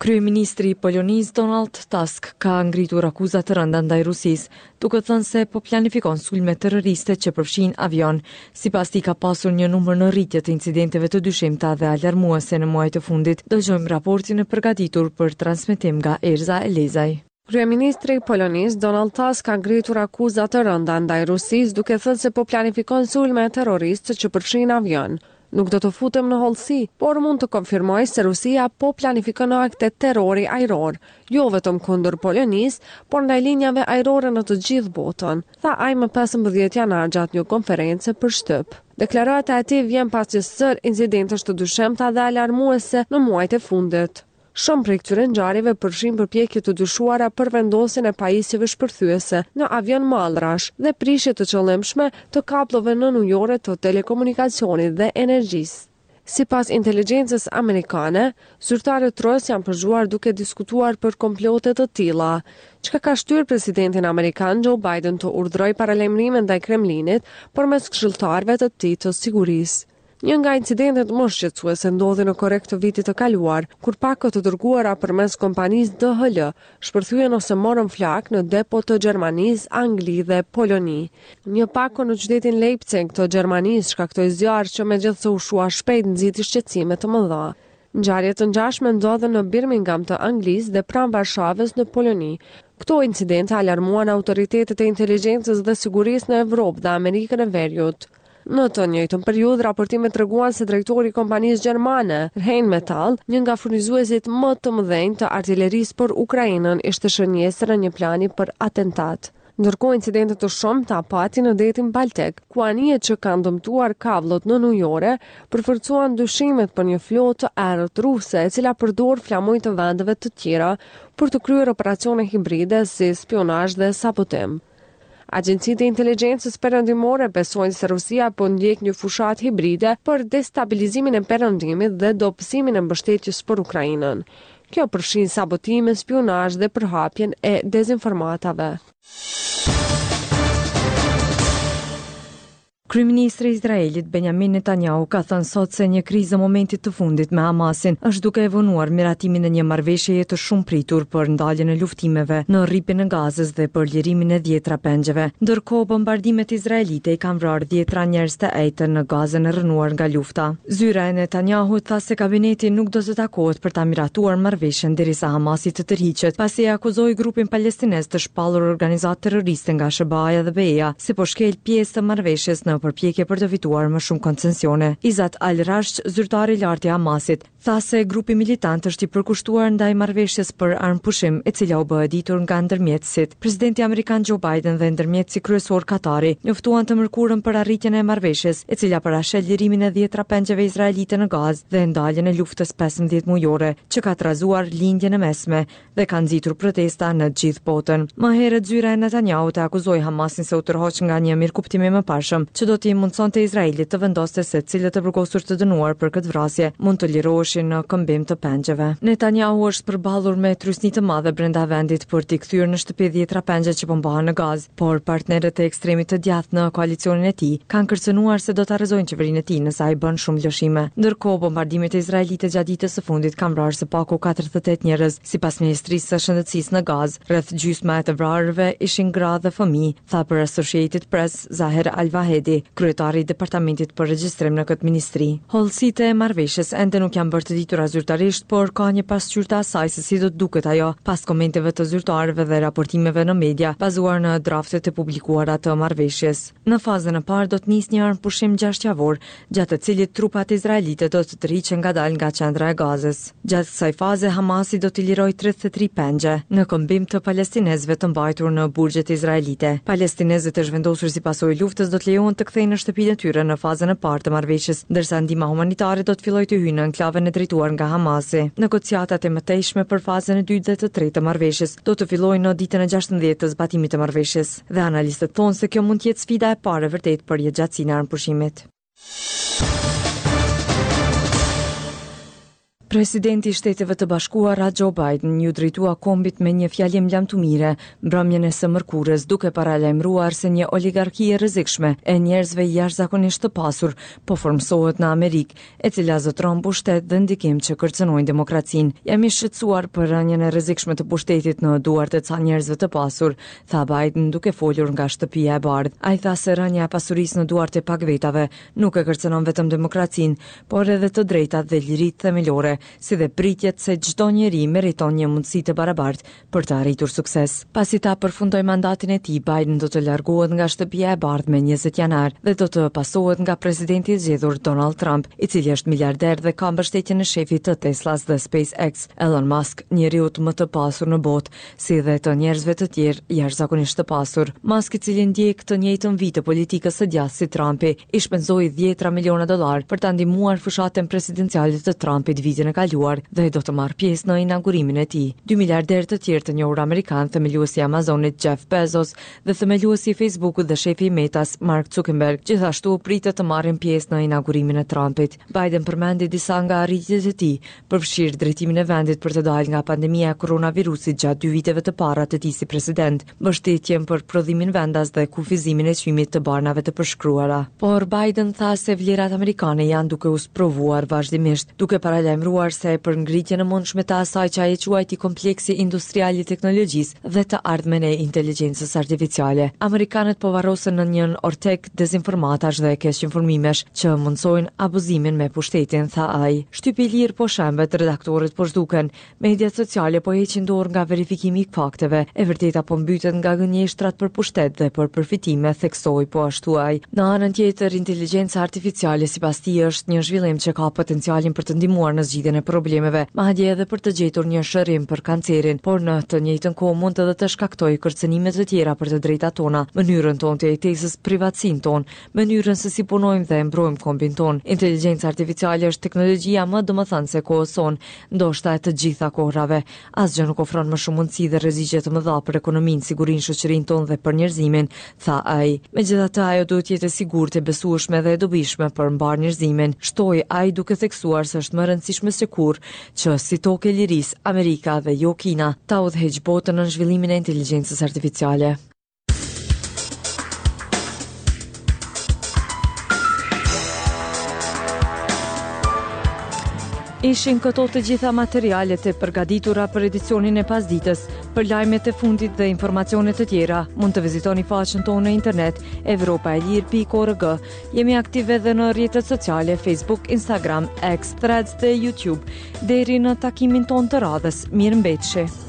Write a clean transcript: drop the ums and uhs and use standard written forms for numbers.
Kryeministri i Polonisë, Donald Tusk, ka ngritur akuza të rënda ndaj Rusisë, duke thënë se po planifikon sulme terroriste që përfshijnë avionë. Sipas tij ka pasur një numër në rritje të incidenteve të dyshimta dhe alarmuese në muajt e fundit. Dëgjojmë raportin e përgatitur për transmetim nga Erza Elezaj. Kryeministri i Polonisë, Donald Tusk ka ngritur akuza të rënda ndaj Rusisë, duke thënë se po planifikon sulme terroriste që përfshijnë avionë. Nuk do të futem në hollësi, por mund të konfirmoj se Rusia po planifikon akte terrori ajror, jo vetëm kundër Polonisë, por ndaj linjave ajrore në të gjithë botën, tha ai më 15 janar gjatë një konference për shtyp. Deklarata e tij vjen pas një sërë incidentesh të dyshimta dhe alarmuese në muajt e fundit. Shumë prej këtyre ngjarjeve përfshijnë përpjekje të dyshuara për vendosjen e pajisjeve shpërthyese në avionë mallrash dhe prishje të qëllimshme të kabllove nënujore të telekomunikacionit dhe energjisë. Sipas inteligjencës amerikane, zyrtarët rusë janë përgjuar duke diskutuar për komplote të tilla, çka ka shtyrë presidentin amerikan Joe Biden të urdhërojë paralajmërime ndaj Kremlinit përmes këshilltarëve të tij të sigurisë. Një nga incidentet më shqetësuese ndodhi në korrik të vitit të kaluar, kur pako të dërguara përmes kompanisë DHL shpërthyen ose morën flakë në depo të Gjermanisë, Angli dhe Poloni. Një pako në qytetin Leipzig të Gjermanisë shkaktoi zjarr që megjithëse u shua shpejt nxiti shqetësime të mëdha. Ngjarje të ngjashme ndodhën në Birmingham të Anglisë dhe pranë Varshavës në Poloni. Këto incidente alarmuan autoritetet e inteligjencës dhe sigurisë në Evropë dhe Amerikën e Veriut. Në të njëjtën periudhë, raportimet treguan se drejtori i kompanisë gjermane, Rheinmetall, një nga furnizuesit më të mëdhenj të artilerisë për Ukrainën, ishte shënjestër e një plani për atentat. Ndërkohë, incidente të shumta pati në detin Baltik, ku anijet që kanë dëmtuar kabllot nënujore përforcuan dyshimet për një flotë të errët ruse, e cila përdor flamuj të vendeve të tjera për të kryer operacione hibride si spiunazh dhe sabotim. Agjencitë e inteligjencës perëndimore besojnë se Rusia po ndjek një fushatë hibride për destabilizimin e Perëndimit dhe dobësimin e mbështetjes për Ukrainën. Kjo përfshin sabotime, spiunazh dhe përhapjen e dezinformatave. Kryeministri i Izraelit, Benjamin Netanyahu, ka thënë sot se një krizë e momentit të fundit me Hamasin është duke e vonuar miratimin e një marrëveshjeje të shumëpritur për ndaljen e luftimeve në Rripin e Gazës dhe për lirimin e dhjetra pengjeve. Ndërkohë, bombardimet izraelite i kanë vrarë dhjetra njerëz të enjten në Gazën e rrënuar nga lufta. Zyra e Netanyahut tha se kabineti nuk do të takohet për ta miratuar marrëveshjen derisa Hamasi të tërhiqet, pasi e akuzoi grupin palestinez të shpallur organizatë terroriste nga SHBA-ja dhe BE-ja se po shkel pjesë të marrëveshjes në përpjekje për të fituar më shumë koncesione. Izzat al-Rashq, zyrtar i lartë i Hamasit, tha se grupi militant është i përkushtuar ndaj marrëveshjes për armëpushim, e cila u bë e ditur nga ndërmjetësit. Presidenti amerikan Joe Biden dhe ndërmjetësi kryesor Katari njoftuan të mërkurën për arritjen e marrëveshjes, e cila parasheh lirimin e dhjetra pengjeve izraelite në Gazë dhe ndaljen e luftës 15 mujore, që ka trazuar Lindjen e Mesme dhe ka nxitur protesta në gjithë botën. Më herët zyra e Netanyahut e akuzoi Hamasin se u tërhoq nga një mirëkuptim i mëparshëm që do t'i mundësonte Izraelit të vendoste se cilët të burgosur të dënuar për këtë vrasje mund të liroheshin në këmbim të pengjeve. Netanyahu është përballur me trysni të madhe brenda vendit për t'i kthyer në shtëpi dhjetra pengje që po mbahen në Gazë. Por partnerët e ekstremit të djathtë në koalicionin e tij kanë kërcënuar se do ta rrëzojnë qeverinë e tij nëse ai bën shumë lëshime. Ndërkohë, bombardimet izraelite gjatë ditës së fundit kanë vrarë së paku 48 njerëz, sipas Ministrisë së Shëndetësisë në Gazë. Rreth gjysma e të vrarëve ishin gra dhe fëmijë, tha për Associated Press Zaher Al-Vahedi, kryetari i Departamentit për Regjistrim në këtë ministri. Hollësitë e marrëveshjes ende nuk janë bërë të ditura zyrtarisht, por ka një pasqyrë të asaj se si do të duket ajo, pas komenteve të zyrtarëve dhe raportimeve në media, bazuar në draftet e publikuara të marrëveshjes. Në fazën e parë do të nisë një armëpushim gjashtëjavor, gjatë të cilit trupat izraelite do të tërhiqen ngadalë nga qendra e Gazës. Gjatë kësaj faze, Hamasi do t'i lirojë 33 pengje, në këmbim të palestinezëve të mbajtur në burgjet izraelite. Palestinezët e zhvendosur si pasojë e luftës do të lejohen të kthehen në shtëpinë e tyre në fazën e parë të marrëveshjes, ndërsa ndihma humanitare do të fillojë të hyjë në enklavën e drejtuar nga Hamasi. Negociatat e mëtejshme për fazën e dytë dhe të tretë të marrëveshjes do të fillojnë në ditën e 16 të zbatimit të marrëveshjes, dhe analistët thonë se kjo mund të jetë sfida e parë e vërtetë për jetëgjatësinë e armëpushimit. Presidenti i Shteteve të Bashkuara, Joe Biden, iu drejtua kombit me një fjalim lamtumire mbrëmjen e së mërkurës, duke paralajmëruar se një oligarki e rrezikshme e njerëzve jashtëzakonisht të pasur po formësohet në Amerikë, e cila zotëron pushtet dhe ndikim që kërcënojnë demokracinë. Jam i shqetësuar për rënien e rrezikshme të pushtetit në duart e ca njerëzve të pasur, tha Biden duke folur nga Shtëpia e Bardhë. Ai tha se rënia e pasurisë në duart e pak vetave nuk e kërcënon vetëm demokracinë, por edhe të drejtat dhe liritë themelore, si dhe pritjet se çdo njeri meriton një mundësi të barabartë për të arritur sukses. Pasi ta përfundojë mandatin e tij, Biden do të largohet nga Shtëpia e Bardhë me 20 janar dhe do të pasohet nga presidenti i zgjedhur Donald Trump, i cili është miliarder dhe ka mbështetjen e shefit të Teslas dhe SpaceX, Elon Musk, njeriut më të pasur në botë, si dhe të njerëzve të tjerë jashtëzakonisht të pasur. Musk, i cili ndjek të njëjtën vijë të politikës së djathtë si Trumpi, i shpenzoi dhjetëra miliona dollarë për ta ndihmuar fushatën presidenciale të Trumpit vitin e kaluar dhe do të marrë pjesë në inaugurimin e tij. Dy miliarderë të tjerë të njohur amerikanë, themeluesi i Amazonit Jeff Bezos dhe themeluesi i Facebookut dhe shefi i Metas Mark Zuckerberg, gjithashtu pritet të marrin pjesë në inaugurimin e Trumpit. Biden përmendi disa nga arritjet e tij, përfshirë drejtimin e vendit për të dalë nga pandemia e koronavirusit gjatë dy viteve të para të tij si president, mbështetjen për prodhimin vendas dhe kufizimin e çmimit të barnave të përshkruara. Por Biden tha se vlerat amerikane janë duke u sprovuar vazhdimisht, duke paralajmëruar se për ngritjen e mundshme të asaj që ai e quajti kompleksi industrial i teknologjisë dhe të ardhmen e inteligjencës artificiale. Amerikanët po varrosen në një ortek dezinformatash dhe keqinformimesh që mundësojnë abuzimin me pushtetin, tha ai. Shtypi i lirë po shembet, redaktorët po zhduken, mediat sociale po heqin dorë nga verifikimi i fakteve, e vërteta po mbytet nga gënjeshtrat për pushtet dhe për përfitime, theksoi po ashtu ai. Në anën tjetër, inteligjenca artificiale sipas tij është një zhvillim që ka potencialin për të ndihmuar në zgjidhjen e problemeve, madje edhe për të gjetur një shërim për kancerin, por në të njëjtën kohë mund edhe të shkaktojë kërcënime të tjera për të drejtat tona, mënyrën tonë të jetesës, privatësinë tonë, mënyrën se si punojmë dhe e mbrojmë kombin tonë. Inteligjenca artificiale është teknologjia më domethënëse e kohës sonë, ndoshta e të gjitha kohërave. Asgjë nuk ofron më shumë mundësi dhe rreziqe të mëdha për ekonominë, sigurinë, shoqërinë tonë dhe për njerëzimin, tha ai. Megjithatë, ajo duhet të jetë e sigurt, e besueshme dhe e dobishme për mbarë njerëzimin, shtoi ai duke theksuar se është më e rëndësishme se kurrë që si tokë e lirisë, Amerika dhe jo Kina, ta udhëheqë botën në zhvillimin e inteligjencës artificiale. Ishin këto të gjitha materialet e përgatitura për edicionin e pasdites. Për lajmet e fundit dhe informacione të tjera, mund të vizitoni faqen tonë në internet evropaelire.org. Jemi aktive edhe në rrjetet sociale Facebook, Instagram, X, Threads dhe YouTube. Deri në takimin tonë të radhës, mirëmbetshi.